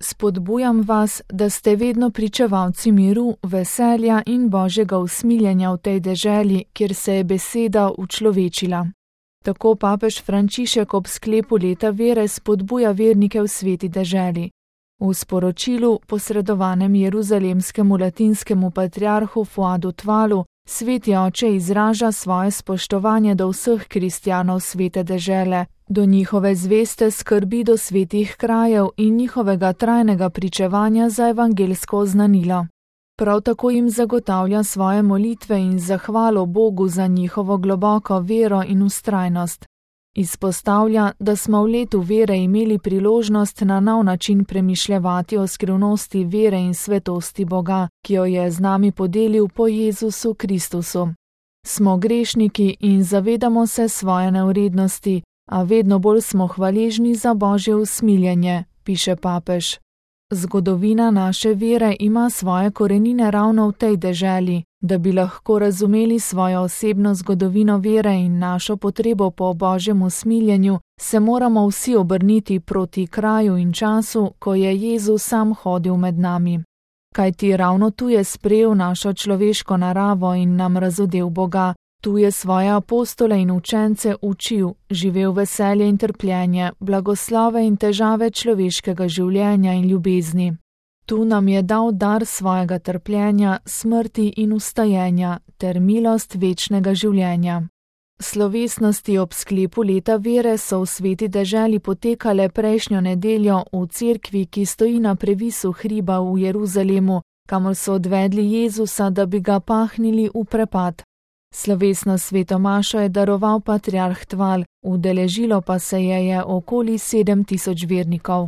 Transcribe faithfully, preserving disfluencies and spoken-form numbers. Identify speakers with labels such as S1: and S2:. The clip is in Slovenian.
S1: Spodbujam vas, da ste vedno pričevalci miru, veselja in božjega usmiljenja v tej deželi, kjer se je beseda učlovečila. Tako papež Frančišek ob sklepu leta vere spodbuja vernike v sveti deželi. V sporočilu, posredovanem jeruzalemskemu latinskemu patriarhu Fuadu Tvalu, sveti oče izraža svoje spoštovanje do vseh kristjanov svete dežele, do njihove zveste skrbi do svetih krajev in njihovega trajnega pričevanja za evangelsko oznanilo. Prav tako jim zagotavlja svoje molitve in zahvalo Bogu za njihovo globoko vero in vztrajnost. Izpostavlja, da smo v letu vere imeli priložnost na nov način premišljevati o skrivnosti vere in svetosti Boga, ki jo je z nami podelil po Jezusu Kristusu. Smo grešniki in zavedamo se svoje nevrednosti, a vedno bolj smo hvaležni za Božje usmiljenje, piše papež. Zgodovina naše vere ima svoje korenine ravno v tej deželi. Da bi lahko razumeli svojo osebno zgodovino vere in našo potrebo po Božjem usmiljenju, se moramo vsi obrniti proti kraju in času, ko je Jezus sam hodil med nami. Kajti ravno tu je sprejel našo človeško naravo in nam razodel Boga, tu je svoje apostole in učence učil, živel veselje in trpljenje, blagoslove in težave človeškega življenja in ljubezni. Tu nam je dal dar svojega trpljenja, smrti in ustajenja ter milost večnega življenja. Slovesnosti ob sklepu leta vere so v sveti deželi potekale prejšnjo nedeljo v cerkvi, ki stoji na previsu hriba v Jeruzalemu, kamor so odvedli Jezusa, da bi ga pahnili v prepad. Slovesno sveto mašo je daroval patriarh Tval, udeležilo pa se je je okoli sedem tisoč vernikov.